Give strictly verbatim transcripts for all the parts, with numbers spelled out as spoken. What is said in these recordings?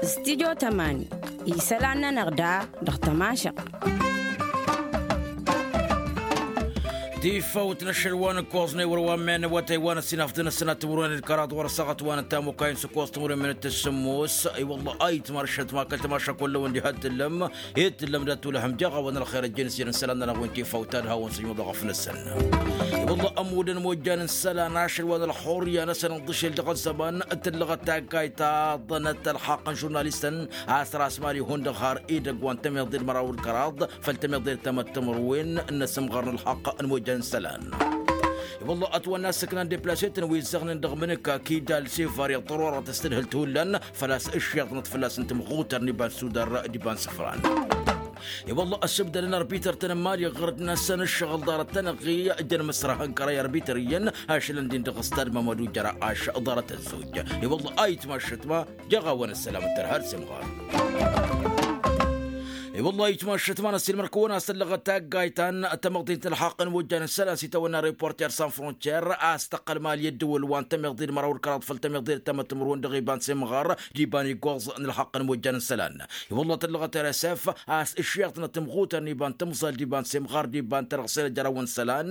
Studio tămani isălan-nănăɣ da dăɣ-tămašăɣt. Tifăwt n-ašăl wa n-ǝkkoẓnăy wăr-wa n-men wa tăywan ăssinafdăn ăssinat timǝrwen d-kăraḍ wăr-ăssaɣăt wa n-ăttamukay n-sǝkkoẓ timǝrwen minăt tǝssǝmmos. I-wălla ayǝtma ăššătma kăl-tămašăk wălla wăn diha d-tǝllăm. Ed tǝllăm dat-tulăhăm jaɣ-awăn ălxer ăjjăn s-irǝn isălan-nănăɣ wi n-tifăwt ta d-hawăn-săjmăḍ ɣăf-năsăn. I-wălla ămudăn imojjan n-isălan ašăl wa n-ălxurya-năsăn ǝnḍǝšel dăɣ-ăzzăman tǝllăɣăt taggayt ta ḍănăt ălxaqq n-žurnalistăn a-s ras mali hundăɣ har edăgg wa n-tămiḍe d-măraw d-kăraḍ făll-tămiḍe d-tamăttămărwen n-asǝmɣar n-ălxaqq n-imojjan n-isălan. I-wălla ătwănna ăssăkna n-deplasetăn wi ǝzzăɣnen dăɣ-imǝnǝka kidal s-ivar iḍḍărorăt s-tadhǝlt hullan făl-a-s ǝššiḍnăt fălla-s n-timɣutăr n-iba n-sudar d-iba n-sǝfran. I-wălla ăssibdălăn arbităr-tăn n-mali ɣur-dd-năsăn ǝššăɣǝl ḍarăt-tăn-ăɣ i-ăjjăn măsrăhăn kăray arbităr iyyăn ašălăn din dăɣ-ăstad mamădu jăra ašăl ḍarăt ăzzoj. I-wălla ayǝtma ăššătma jăɣ-awăn ăssălam d-tărha d-semɣar. I-wălla ayǝtma ăššătma n-ăssiilmăr-kăwăn a-s tăllăɣăt taggayt ta n-tamăḍint n-ălxaqq n-imojjan n-isălan s-itawănna reporter san frontier a-s tăqqăl mali ăddǝwǝl wa n-tămiḍe d-măraw d-kăraḍ făll-tămiḍe d-tamăttămărwen dăɣ-iba n-semɣar d-iba n-igoẓ n-ălxaqq n-imojjan n-isălan. I-wălla tăllăɣăt rsf a-s ǝššiḍnăt timɣutăr n-iba n-timẓal d-iba n-semɣar d-iba n-tărɣsel ăjrawăn isălan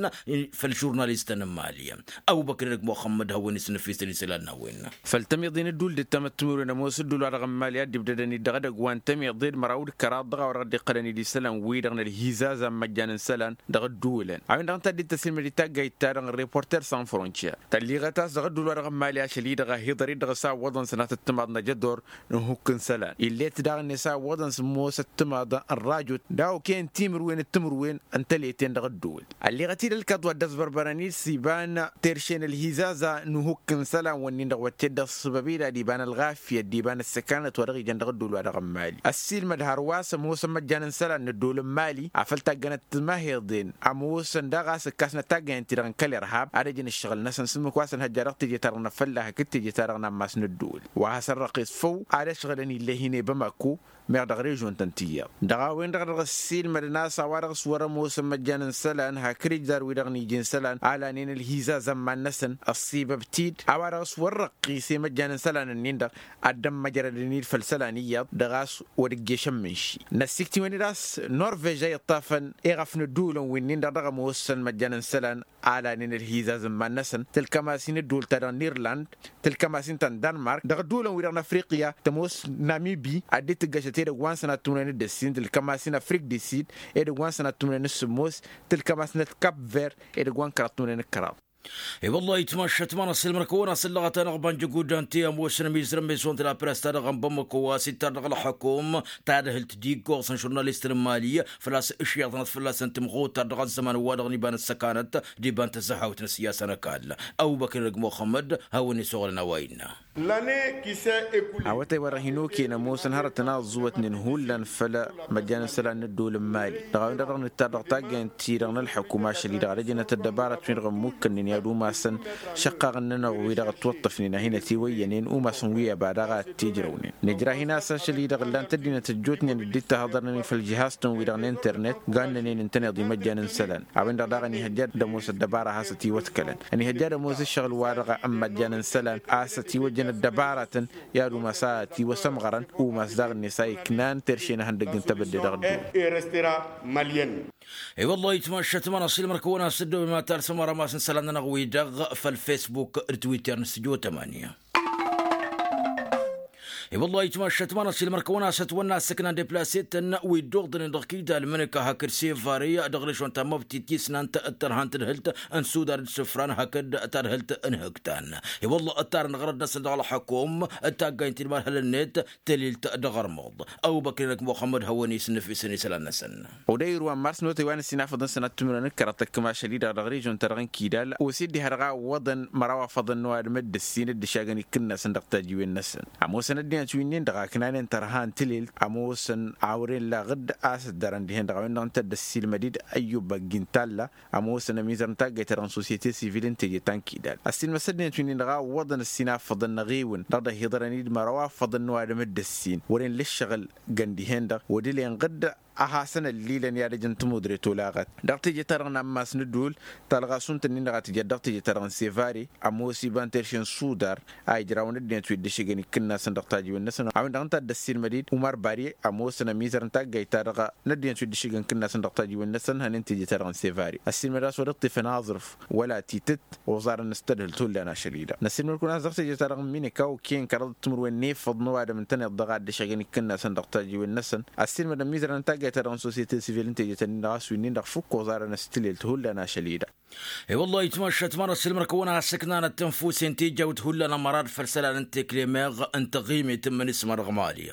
făll-žurnalistăn n-mali. Ăbubăkr inăk muxămmăd hawăn-isǝnnǝfisăn isălan n-a-wen. Făll-tămiḍe n-ǝddul d-tamăttǝmǝrwen ămoos ǝddul wa dăɣ-n mali a dd-ibdădăn-dd dăɣ-edăgg wa n-tămiḍe d-măraw d-kăraḍ dăɣ-a-wa dăɣ-dd-iqqălăn-dd isălan-wi-dăɣ n-ălhizazan măjjan n-isălan dăɣ-ǝddulăn a-wen-dăɣ ǝnta a dd-tăsilmăd-dd taggayt-ta-dăɣ n-reporter san frontier tălliɣăt a-s dăɣ-ǝddul wa dăɣ-n mali ašăl-i-dăɣ a hi-iḍăr-dd dăɣ-s a ǝwwăḍăn sănatăt timaḍ n-ajădor n-hukk n-isălan ill'-et daɣ-net a ǝwwăḍăn s-ămoos ăttimaḍ n-rajot d-a okăyăn timǝrwen d-timǝrwen n-tăleten dăɣ-ăddol. Ălleɣăt-dd ălkaḍ wa dd-ăẓbărbărăn-dd s-iba n-terše n-ălhizaza n-uhukk n-isălan-wǝnnin-dăɣ wătted-dăɣ s-sǝbăb-i d-ad-iba n-ălɣafyăt d-iba n-ăssăkanăt wa dăɣ-ijăn dăɣ-ăddol wa dăɣ-n mali ăssiilmăd hărwa s-ămoosăn măjjan n-isălan n-ăddol n-mali afăl taggănăt timaheḍen ămoosăn daɣ a-s ǝkkasnăt taggăyăn-ti-dăɣ n-kăl-irhab ad-ăjǝn ǝššăɣǝl-năsăn s-ǝmmǝk wa s-ănhăjja dăɣ-teje-ta-dăɣ n-afălla hakd teje-ta-dăɣ n-ammas n-ăddol wa has-ărrăqis făw ad-ăšɣǝlăn ill'-e hin-e bamako meɣ dăɣ-režon-tăn tiyyăḍ dăɣ-a-wen-dăɣ dăɣ-ăssiilmădăn a-s a-wa-dăɣ s-wăr-ămoosăn măjjan n-isălan hakd ijzar-wi-dăɣ n-iji n-isălan a lanen ălhizaz ămman-năsăn ăṣṣibăb-t-dd a-wa-dăɣ s-wăr-răqqis i-măjjan n-isălan-ǝnnin-dăɣ ad-dd-ămmăjrădăn-dd făll-isălan iyyăḍ dăɣ-a-s wăr-ǝjješăn mǝnši. Năssikt'-iwăn-dd a-s norvež a iṭṭafăn iɣăf n-ădduulăn wi-nin-dăɣ dăɣ-ămoosăn măjjan n-isălan a lanen ălhizaz n-iman-năsăn tǝlkăm-as-in ădduul-ta-dăɣ n-irland tǝlkăm-as-in ta n-danmark dăɣ-ădduulăn-wi-dăɣ n-afriqya tămoos namibi ad-dd-tǝggăšăt edăgg wa n-sănat timǝrwen d-ǝssin tǝlkăm-as-in afrik di sid edăgg wa n-sănat timǝrwen d-sǝmmos tǝlkăm-as-năt kap ver edăgg wa n-kăraḍ timǝrwen d-kăraḍ. I-wăllah itmaššăt ma n-ăssiilmăr-kăwăn-asǝllăɣăt-anăɣ banjăguddan ti ămoosăn ămizrăn meson d-lapress-ta-dăɣ n-bamăko a-s ittar dăɣ-ălxukum tadhǝlt d-iggoẓ n-žurnalist n-imali făl-a-s ǝšyaḍnăt fălla-săn timɣutar dăɣ-ăzzăman wa-dăɣ n-iba n-ăssăkanăt d-iba n-tăzzăhawt n-ăssiyasa n-ăkall. Ăbubăkr n-ăgg muxămmăd hawăn-isăɣlăn a-wa innă. Awătay wa dăɣ-hin-okăyăn ămoosăn hărătăn a ăẓẓuwătnen hullan făll-măjjan n-isălan n-ăddol n-imali dăɣ-a-wen-dăɣ dăɣ-nǝttar dăɣ-taggaynt-ti-dăɣ n-ălxukum ašăl-i-dăɣ ad-ăjnăt ăddăbarăt-win-dăɣ ămmukkănnen i-ad-umasăn šăqqaɣăn-nănăɣ wi-dăɣ ătwăṭṭăfnen a hin-ătiwăyyănen umasăn wi ăba daɣ a t-ijrăwnen nǝjrah-in a-s ašăl-i-dăɣ ǝllan-t ăddinăt ăjjootnen dd-ittahăḍărnen făll-žihaz-tăn-wi-dăɣ n-internet gannănen ǝntăneḍ i-măjjan n-isălan a-wen-dăɣ daɣ ănihăjja ad-ămoos ăddăbara a has-ătiwăḍkălăn ănihăjja ad-ămoos ǝššăɣǝl-wa-dăɣ n-măjjan n-isălan a-s ătiwăjjăn ăddăbarătăn i-ad-umas a ătiwăsămɣărăn umas daɣ-net a iknan terše n-ehăndăgg n-tebădde dăɣ-ăddinăt. I-wăllah itmaššăt ma n-aṣilmăr-kăwăn-asǝddăw imatal s-ămăra mas n-isălan-nănăɣ-wi-dăɣ făll-facebook d-twitter n-studio tămanya. I-wăllah itmaššăt ma n-aṣilmăr-kăwăn-asǝtwănna ăssăkna n-deplasetăn wi dd-uḍnen dăɣ-kidal mǝnǝka hakd sevare dăɣ-režon ta n-măbtit tisnant d-tărha n-tadhǝlt n-sudar d-sǝfran hakd tadhǝlt n-hǝktan. I-wăllah ǝttarăn ɣărăd-năsăn dăɣ-ălxukum d-taggaynt-in imarhăl-net tălilt dăɣ-ărmuḍ. Ăbubăkr-i-năk muxămmăd hawăn-isǝnnǝfisăn isălan-năsăn. Odăy irwa n-mars n-otăy wa n-ăssinafăḍăn sănat timǝrwen d-kăraḍ tăkkăm ašăl-i-dăɣ dăɣ-režon-ta-dăɣ n-kidal osedde har dăɣ-a ǝwwăḍăn măraw afăḍăn n-ăwadǝm d-ǝssin d-ǝšagăn ikǝnnasăn dăɣ-tajiwen-năsăn ămoosăn ăddinăt wi-nin-dăɣ aknanen tărha n-tǝlelt ămoosăn awren laɣ-dd a-s ăddărăn dihen-dăɣ a-wen-dăɣ ǝnta dd-ăssiilmăd-dd ăyyub ăgg-intalla ămoosăn ămizăr n-taggayt-ta-dăɣ n-sosyete sivil n-teje ta n-kidal ăssiilmăs ăddinăt wi-nin-dăɣ a ǝwwăḍăn ăssinafăḍăn năɣ-ewăn dăɣ-dd-ăhiḍărăn-dd măraw afăḍăn n-ăwadǝm d-ǝssin wăren lăššăɣǝl găn dihen-dăɣ wădălen ɣǝdda a hasăn-ăllilăn i-ad-ăj n-tămudre tolaɣăt dăɣ-teje-ta-dăɣ n-ammas n-ădduul. Talɣa s-unt-ǝnnin-dăɣ a tǝjăt dăɣ-teje-ta-dăɣ n-sevare ămoos iba n-terše n-sudar a ijrawăn ăddinăt wi dd-ǝššǝgăn ikǝnnasăn dăɣ-tajiwen-năsăn a-wen-dăɣ ǝnta a dd-ăssiilmăd-dd umar bari ămoosăn ămizăr n-taggayt-ta-dăɣ n-ăddinăt wi dd-ǝššǝgăn ikǝnnasăn dăɣ-tajiwen-năsăn hănen teje-ta-dăɣ n-sevare. Ăssiilmăd a-s wăr iṭṭifăn aẓrǝf wăla titǝt oẓarăn s-tadhǝlt hullan ašăl-i-dăɣ năssiilmăd-kăwăn a-s dăɣ-teje-ta-dăɣ n-mineka okăyăn kăraḍăt timǝrwen n-efăḍ n-ăwadǝm ǝntăneḍ dăɣ-a dd-ăššăgăn ikǝnnasăn dăɣ-tajiwen-năsăn. Ăssiilmăd ămmizărăn n-taggayt-ta-dăɣ n-sosyete sivil n-teje-tăn-in-dăɣ a-s wi-nin-dăɣ fǝkk oẓarăn s-tilelt hullan ašăl-i-dăɣ. E-wălla-hi ătmašat ma n-ăssiilmăd-kăwăn a hasăknanăt tănfusen tijawt hullan ămărad făll-isălan n-tekle meɣ n-taɣimet n-imǝnǝsma dăɣ-mali.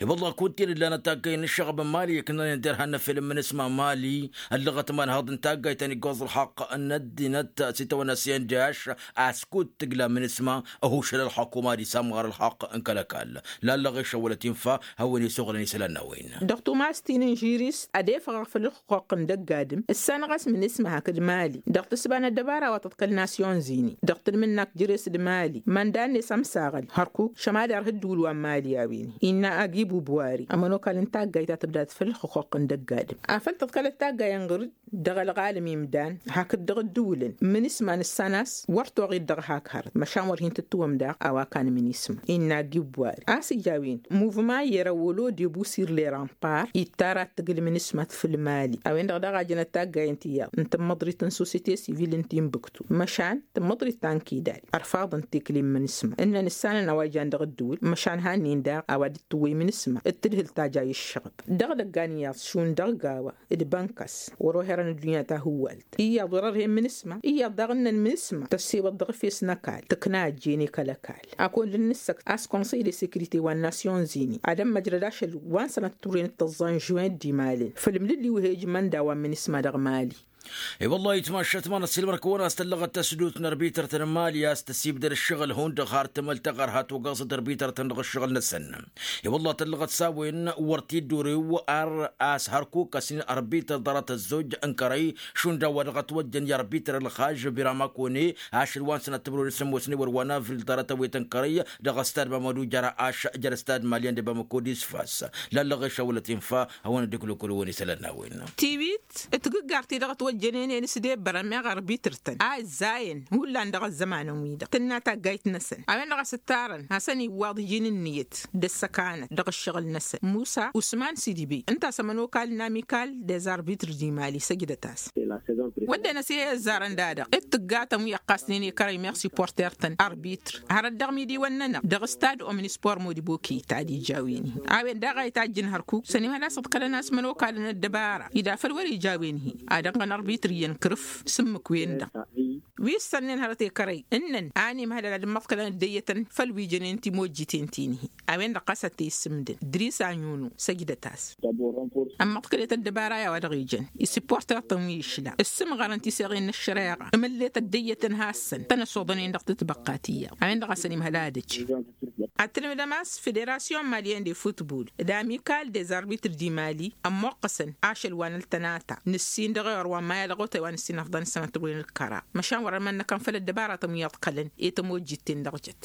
E-wălla-hi kud-ten ǝllanăt taggayt n-ǝššăɣăb n-mali ǝknănen derhan n-efel n-imǝnǝsma n-mali ăllăɣăt imanhăḍ n-taggayt ta n-iggoẓ ălxaqq n-ăddinăt s-itawănna s-i n-daš a-s kud-tǝgla imǝnǝsma ăhušăl ălxukuma ad-isamɣăr ălxaqq n-kăl-ăkall. Lallăɣ ešăwălăt infa hawăn-e-suɣǝlăn isălan n-a-wen. Dăɣ-tumas ti n-inžiris ad-efăɣăɣ făll-ălxuqq n-dăgg-adǝm ǝssanăɣ-as imǝnǝsma hakd mali dăɣ-tǝsba n-ăddăbara wa tǝḍkăl nasyon zini dăɣ-tǝlmǝnnak jere-s d-mali. Mănda-net ămsaɣăl hărkuk šămad irha ǝddǝwǝl wa n-mali a-wen-hi innă agi bubwari ămănokal n-taggayt ta tǝbdad făll-ălxuqq n-dăgg-adǝm afăl tǝḍkălăt taggayen ɣur-dd dăɣ-ălɣalăm imdan hakd dăɣ-ǝddǝwǝlăn imǝnǝsma nǝssan a-s wăr toɣed dăɣ-hak hărăt măšan wăr hin-tǝttǝwăm daɣ a-wa kan imǝnǝsma. Innă agi bubwari a-s ija a-wen muvma yerăwălo debusir leran par ittara ad-tǝgǝl imǝnǝsma tǝfǝl mali a-wen-dăɣ daɣ a jănăt taggayen tiyyăḍ n-tǝmmăḍrit n-sosyete sivil n-timbuktu măšan tǝmmăḍrit ta n-kidal ărfaḍăn tekle n-imǝnǝsma ǝnnăn ǝssanăn a-wa ijan dăɣ-ǝddǝwǝl măšan hannen daɣ a-wa dd-tǝwwăy imǝnǝsma d-tǝdhǝl ta ja i-ǝššăɣăb. Dăɣ-idăggan iyyăḍ šund dăɣ-gawa d-bănkas wăr-oherăn ăddunya ta hǝwwalt iyyăḍ wăr-ărhe imǝnǝsma iyyăḍ daɣ ǝnnăn imǝnǝsma tăssewăḍ dăɣ-efes n-ăkall tǝkna ăjjeen i-kăl-ăkall. Ad-kăwăn-dd-nǝssăkt a-s konsăy de sekrite wa n-nasyon zini ad-ămmăjrăd ašăl wa n-sănăt turren d-tăẓẓa n-žuwen d-imalăn făll-imlǝlliw he-ijmăn d-a-wa n-imǝnǝsma dăɣ-mali. E-wăllah itmašat ma n-ăssiilmăr-kăwăn a-s tăllăɣăt tasdut n-arbităr-tăn n-mali a-s tăsibdăd ăššăɣǝl hundăɣ har tamălt taɣărhat ogăẓăt arbităr-tăn dăɣ-ăššăɣǝl-năsăn. E-wăllah tăllăɣăt s-a-wen wăr t-dd-orew ar a-s hărkuk ăsnin arbităr ḍarăt ăzzoj n-kărăy šund a-wa dăɣ-ătwăjjăn i-arbităr ălxaž biramakone ašăl wa n-sănăt timǝrwen s-ămoosnen wăr wa n-avril ḍarăt ăwwet n-kărăy dăɣ-ăstad mamădu jăra ašăl jăr-ăstad malyan d-bamăko d-isfas. Lallăɣ ešăwălăt infa hawăn-dd-ǝklǝkǝlǝwăn isălan n-a-wen. Tiwit tǝgǝggart-i-dăɣ ătwăjjănen i-nǝsdebărăn meɣ arbităr-tăn a ǝzzayăn hullan dăɣ-ăzzămanăn-wi-dăɣ tǝnna taggayt-năsăn a-wen-dăɣ a-s ǝttarăn hasăn-iwwaḍ iji n-ǝnniyăt d-ăssăkanăt dăɣ-ǝššăɣǝl-năsăn musa usman sidibe ǝnta a-s ămănokal n-amikal dez-arbităr d-imali săjdăt-as. Wădden ăsihăy ăzzarăn da-dăɣ d-tǝggatăn wi ăqqasnen i-kărăy meɣ siporter-tăn arbităr hărăt dăɣ-imidiwăn-nănăɣ dăɣ-stad omnispor modibo keyta d-ija a-wen-hi a-wen daɣ a itajjǝn hărkuk sănimhăl a-s ǝḍkălăn a-s mănokalăn ăddăbara ida făl wăr-ija a-wen-hi ad-ănɣăn arbităr iyyăn kărǝf s-ǝmmǝk-wen-dăɣ wi ǝssănnen hărăt i-kărăy ǝnnăn a ănimhălăl ad-ǝmmăḍkălăn ăddăyyătăn făll-wi jănen timojjiten ti-nihi. A-wen-dăɣ ɣas ad-t-e-issǝmdǝn dris aɲunu săjdăt-as. Ămmăḍkălet ăddăbara i-a-wa dăɣ-ijăn isiporter-tăn wi išla ǝssǝmɣărăn tiseɣen n-ăššăreɣa ǝmǝllet ăddăyyătăn hassăn tăn-ăsoḍănen dăɣ-tǝtbăqqa tiyyăḍ a-wen-dăɣ a-s ănimhăl ad-ăj. Ad-tǝlmǝdăm a-s federasyon malyen de futbul d-amikal dez-arbităr d-imali ămmoqqăsăn ašăl wa n-ăltănata nǝssin dăɣ-ewăr wa n-maya dăɣ-otay wa nǝssin afḍăn s-sănăt wăren d-kăra măšan wăr-ămănnăkăn făll-ăddăbaratăn wi ăḍkălăn i-tămojjit-ten dăɣ-jăt.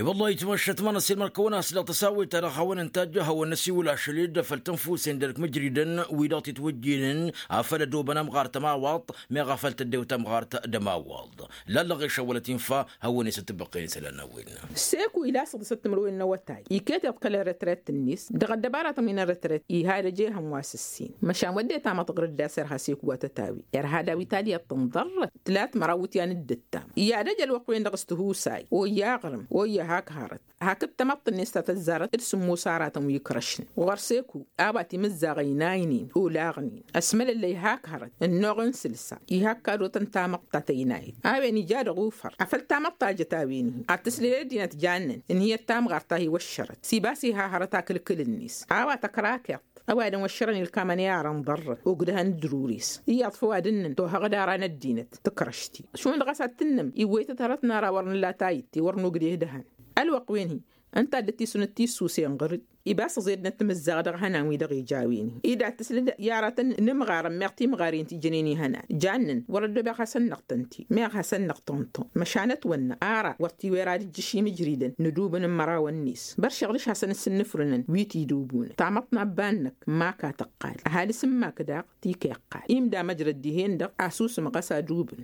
E-wăllah itmăššăt ma n-ăssiilmăr-kăwăn a-s dăɣ-tăsawet ta dăɣ-hawăn-ǝntajj hawăn-năsiwǝl ašăl-dd făll-tănfusen d-ărkmǝjridăn wi-dăɣ titwǝjjinen afăl ădobăn ămɣar tămawaḍt meɣ afăl tăddew tămɣart d-ămawaḍ. Lallăɣ ešăwălăt infa hawăn-e-s ăttăbăqqen isălan n-a-wen. Seku ila s-ăḍǝsăt timǝrwen n-awătay iket iḍkălăn retret-net dăɣ-ăddăbaratăn wi n-retret iha d-ăj ehăn wa s-ǝssin măšan wădden tamăḍt ɣǝr-dd a-s irha seku wa tătawi irha daw-italya tǝnḍărrăt tǝlat măraw iwǝtyan d-ǝttam i-ad-ăj ălwăqq-wen-dăɣ s-tihusay oyya aɣrǝm oyya hak hărăt hakd tamăḍt-net ta tăzzarăt d-sǝmmos aratăn wi ǝkrăšnen ɣur-seku a-wa timǝzzaɣ ăynaynen olaɣnen ăsmălăllăy hak hărăt ănnuɣ n-sǝlsa iha ǝkkadotăn tamăḍt ta tăynayt a-wen ija dăɣ-ufăr afăl tamăḍt ta jăt a-wen-hi ad-tǝslǝl ăddinăt jannăn ǝnhǝyăt tamɣart ta hi-wăššărăt s-ibas iha hărăt akǝlkǝl-net a-wa tăkrakeḍt ăwadǝm wăššărăn ilkamăn i-arăn ḍărrăn ogdăhăn d-rures iyyăḍ făw ad-ǝnnǝn tohăɣ d-ara n-ăddinăt tǝkrăš-t-i šund ɣas ad-tǝnnǝm iwwăytăt hărăt n-ara wăr nǝlla tayǝtte wăr nogdeh dăhăn. Ălwăqq-wen-hi Ǝnta a dd-tisunăt tisusen ɣur-dd ibas ăẓednăt timǝzzaɣ dăɣ-ihănan-wi-dăɣ ija a-wen-i. Ed ad-tǝslǝd i-aratăn n-imɣarăn meɣ timɣarin ti jănen ihănan jannen wăr-ăddobăɣ hasăn-năɣ tănti meɣ hasăn-năɣ tănti. Măšan ătwănna ara wăr tiwăr ad-ǝjjǝš imǝjridăn n-adubǝn n-imărawăn-net băr šăɣlǝš hasăn-ǝssǝnnǝfrǝnăn wi t-idubunăn tamăḍt n-abba-năk. N-maka tăqqal ăhalǝs n-mak daɣ ti-kăyăqqal imda măjrăd dihen-dăɣ asusǝm ɣas adubǝn.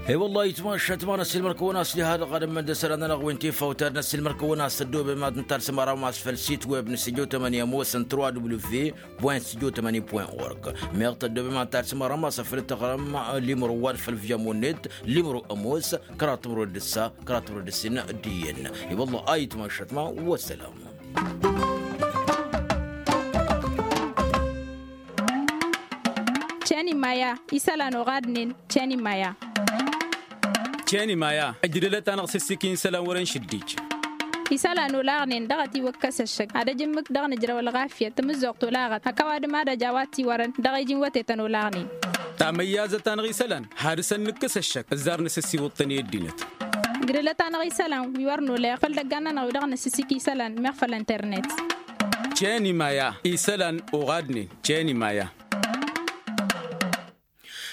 He-wălla-hi itmašat ma n-ăssiilmăr-kăwăn-as diha-dăɣ ad-ămmăndăsăr ad-nănăɣ-wen tifawt ad-năssiilmăr-kăwăn-as tăddobem ad-nǝtalsăm ara mas făll-sit web n-studio tămăni ămoosăn trois w point studio tămăni point org. Meɣ tăddobem ad-nǝtalsăm ara mas afăl tăɣrăm limro wa d-făll-v jamonnet limro ămoos kăraḍ timro d-ǝssa kăraḍ timro d-ǝssin. D-iyyăn. He-wălla-hi itmašat ma. Wăssălam. Ceni maya isălan oɣadnen. Ceni maya. Ceni maya ǝjdǝlăt-anăɣ s-ǝssikin isălan wăren šǝddij. Isălan olaɣnen dăɣ-ătiwăkkăs ăššăk ad-ăj ǝmmǝk dăɣ-nǝjrăw ălɣafyăt tamǝzzuɣt olaɣăt hăkk ăwadǝm ad-ăj a-wa t-iwărăn dăɣ-iji n-wătetăn olaɣnen. Tamăyyazăt-anăɣ isălan hadǝsăn nǝkkǝs ăššăk ǝzzar nǝsǝssiwǝḍ-tăn i-ăddinăt. Gdălăt-anăɣ isălan wi wăr nolăyăɣ făll-idăggan-nănăɣ wi-dăɣ nǝsǝsik isălan meɣ făll-internet. Ceni maya isălan oɣadnen ceni maya.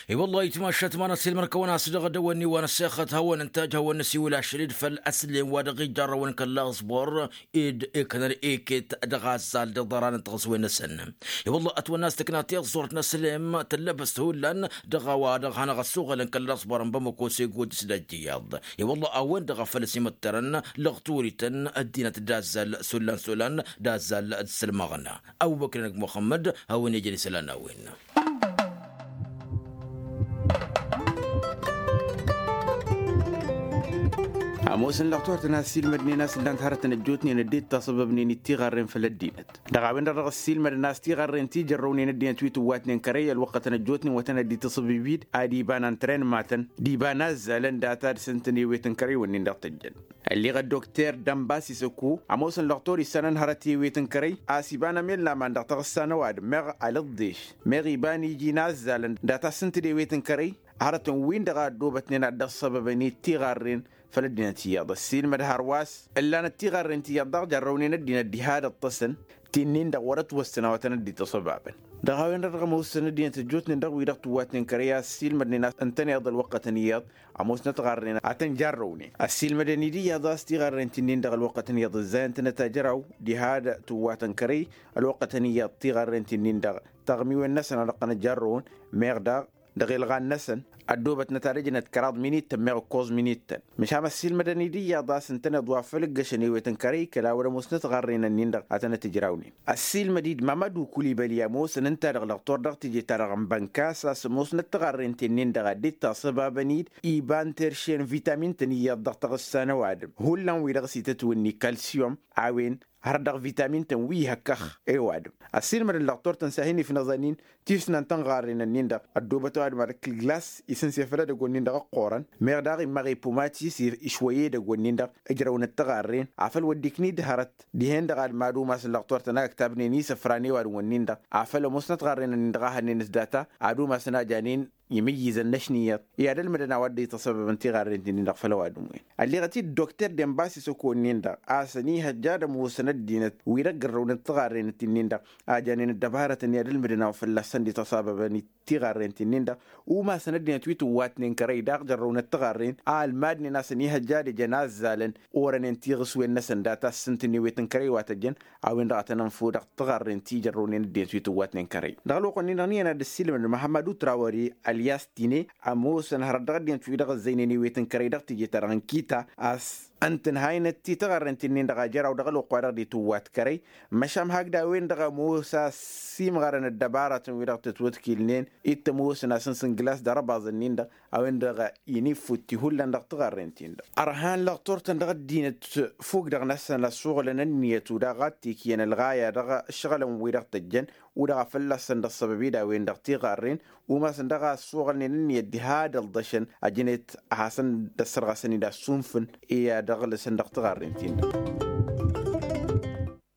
I-wăllah itmašat ma n-ăssiilmăr-kăwăn-as dăɣ-dăwănni wa n-ăssexăt hawăn-ǝntaj hawăn-nǝsiwǝl ašăl-dd făll-ăslem wa dăɣ-ijarrăwăn kăl-aẓbor ed iknăn iket dăɣ-azzal d-iḍăran n-tiɣǝswen-năsăn. I-wăllah ătwănna a-s tǝkna tiẓẓurt n-ăslem tăllăbăst hullan dăɣ-a-wa-dăɣ hanăɣ-ăssuɣălăn kăl-aẓbor n-bamăko s-egojǝs d-ajjǝyyaḍ. I-wăllah a-wen-dăɣ a făl ăsimăttărăn lăɣturităn ăddinăt d-azzal s-hullan s-hullan d-azzal d-sălmăɣna. Ăbubăkr-năk muxămmăd a-wen ijăn isălan a-wen. Ămoosăn lăɣturtăn a ăssiilmădnen a-s ǝllan-t hărătăn ăjjootnen ăddinăt tasăbăbnen d-tiɣarren făll-ăddinăt dăɣ-a-wen-dăɣ dăɣ-ăssiilmădăn a-s tiɣarren ti jărrăwnen ăddinăt wi tǝwwatnen kărăy ălwăqqătăn ăjjootnen wa tăn-ăddi-tǝsǝbǝbid ad-iba n-antren matăn d-iba n-azzalăn data d-sǝntǝn i-wet n-kărăy-wǝnnin-dăɣ tăjjăn. Ălleɣ ăddokter dănbas isăko ămoosăn lăɣtor issanăn hărăt i-wet n-kărăy a-s iba n-amel n-aman dăɣ-taɣǝssa n-ăwadǝm meɣ alǝḍḍeš meɣ iba n-iji n-azzalăn data s-ǝntǝd i-wet n-kărăy. Hărătăn-win-dăɣ a ăddoobătnen ad-dd-ăṣṣăbăbăn i-tiɣarren făll-ăddinăt iyyăḍ ăssiilmăd hărwa s-ǝllanăt tiɣarren ti iyyăḍ daɣ jărrăwnen ăddinăt diha d-ǝṭṭăsăn ti-nin-dăɣ wăr-ătwăssăn a-wa tăn-ăddi-tăṣăbabăn. Dăɣ-a-wen-dăɣ dăɣ-ămoosăn ăddinăt ăjjootnen dăɣ-wi-dăɣ tǝwwatnen kărăy a-s ăssiilmădnen a-s ǝntăneḍ ălwăqqătăn iyyăḍ ămoosnăt ɣarren ad-tăn-jarrăwnen ăssiilmădăn-dd iyyăḍ a-s tiɣarren ti-nin-dăɣ ălwăqqătăn iyyăḍ ǝzzayăn-tănăt ajăraw diha d-tǝwwatăn kărăy. Ălwăqqătăn iyyăḍ tiɣarren ti-nin-dăɣ taɣmiwen-năsăn a dăɣ-tăn-ăjjarrăwăn meɣ daɣ dăɣ-ilɣan-năsăn ăddoobătnăt ad-ǝjnăt kăraḍ minittăn meɣ ǝkkoẓ minittăn. Măšan ăssiilmădăn-dd iyyăḍ a-s ǝntăneḍ wa făl ǝggăšăn i-wet n-kărăy kăla wăr-ămoosnăt ɣarren-ǝnnin-dăɣ ad-tănăt-ǝjrawnen. Ăssiilmăd-dd mamădu kulibăli ămoosăn ǝnta-dăɣ lăɣtor dăɣ-teje-ta-dăɣ n-bănkas a-s ămoosnăt tiɣarren ti-nin-dăɣ a dd-tasăbabăn-dd iba n-terše n-vitamin-tăn iyyăḍ dăɣ-taɣǝssa n-ăwadǝm hullan wi-dăɣ s-itătwǝnni kalsiyum a-wen har dăɣ-vitamin-tăn wi ihăkkăx i-ăwadǝm. Ăssiilmădăn lăɣtor-tăn s-ad-hin-ifnăẓăn-in tisnant n-ɣarren-ǝnnin-dăɣ ăddoobăt ăwadǝm ad-ǝkkǝl glas isǝnse făll-edăgg-wǝnnin-dăɣ ǝqqurăn meɣ daɣ immaɣ i-pumatis išwăy edăgg-wǝnnin-dăɣ ǝjrăwnăt tiɣarren afăl wăr dd-ikni-dd hărăt dihen-dăɣ ad-mad-umasăn lăɣtor-tăn a ǝktabnen isăfra n-ewadǝm-wǝnnin-dăɣ afăl ămoosnăt ɣarren-ǝnnin-dăɣ a hănnen s-data ad-umasăn a janen imǝyyǝzăn n-ašniyyăḍ i-ad-ǝlmǝdăn a-wa dd-ităṣăbăbăn tiɣarren-ti-nin-dăɣ făll-ăwadǝm-wen. Ălleɣăt-dd dokter denbas isăko-nin-dăɣ a-s ănihăjja ad-ămoosăn ăddinăt wi-dăɣ gărrăwnăt tiɣarren-ti-nin-dăɣ a janen ăddăbarătăn i-ad-ǝlmǝdăn a-wa fălla-săn dd-ităṣăbăbăn tiɣarren-ti-nin-dăɣ umasăn ăddinăt wi tǝwwatnen kărăy daɣ jărrăwnăt tiɣarren a ălmadnen a-s ănihăjja ad-ǝjăn azzalăn orănen tiɣǝswen-năsăn data s-ǝntǝn i-wet n-kărăy wa tăjjăn a-wen-dăɣ a tăn-ănfăw dăɣ-tiɣarren ti jărrăwnen ăddinăt wi tǝwwatnen kărăy. Dăɣ-ălwăqq-nin-dăɣ n-iyyăn ad-dd-ăssiilmădăn muhămmăd utrawări ălyas tine ămoosăn hărăt dăɣ-ăddinăt wi-dăɣ ăzzăynen i-wet n-kărăy dăɣ-teje-ta-dăɣ n-kita a-s ǝntǝnhaynet ti tiɣărrent-in-dăɣ a jăraw dăɣ-ălwăqq-wa-dăɣ dd-tǝwwat kărăy. Măšan hakd a-wen-dăɣ ămoos a-s imɣărăn ăddăbaratăn wi-dăɣ tǝtwǝtkilnen ittămoosăn a-s n-sǝnglas d-arăbaẓ-nin-dăɣ a-wen-dăɣ inifutti hullan dăɣ-tiɣărrent-in-dăɣ. Ărhan lăɣtor-tăn dăɣ-ăddinăt fuk dăɣ-năsăn ăssuɣǝlăn ǝnniyăt u-daɣ ad-t-ikyăn ălɣaya dăɣ-ǝššăɣǝlăn wi-dăɣ tăjjăn u-dăɣ a fălla-săn dd-ăṣṣăbăb-dd a-wen-dăɣ tiɣarren. Umasăn dăɣ-a ăssuɣǝlnen ǝnniyăt diha d-ălḍăšăn ăjnet ad-hasăn-dd-ăssărɣăsăn-dd assunfǝn i-ad-ăɣlǝsăn dăɣ-tiɣarren-tin-dăɣ.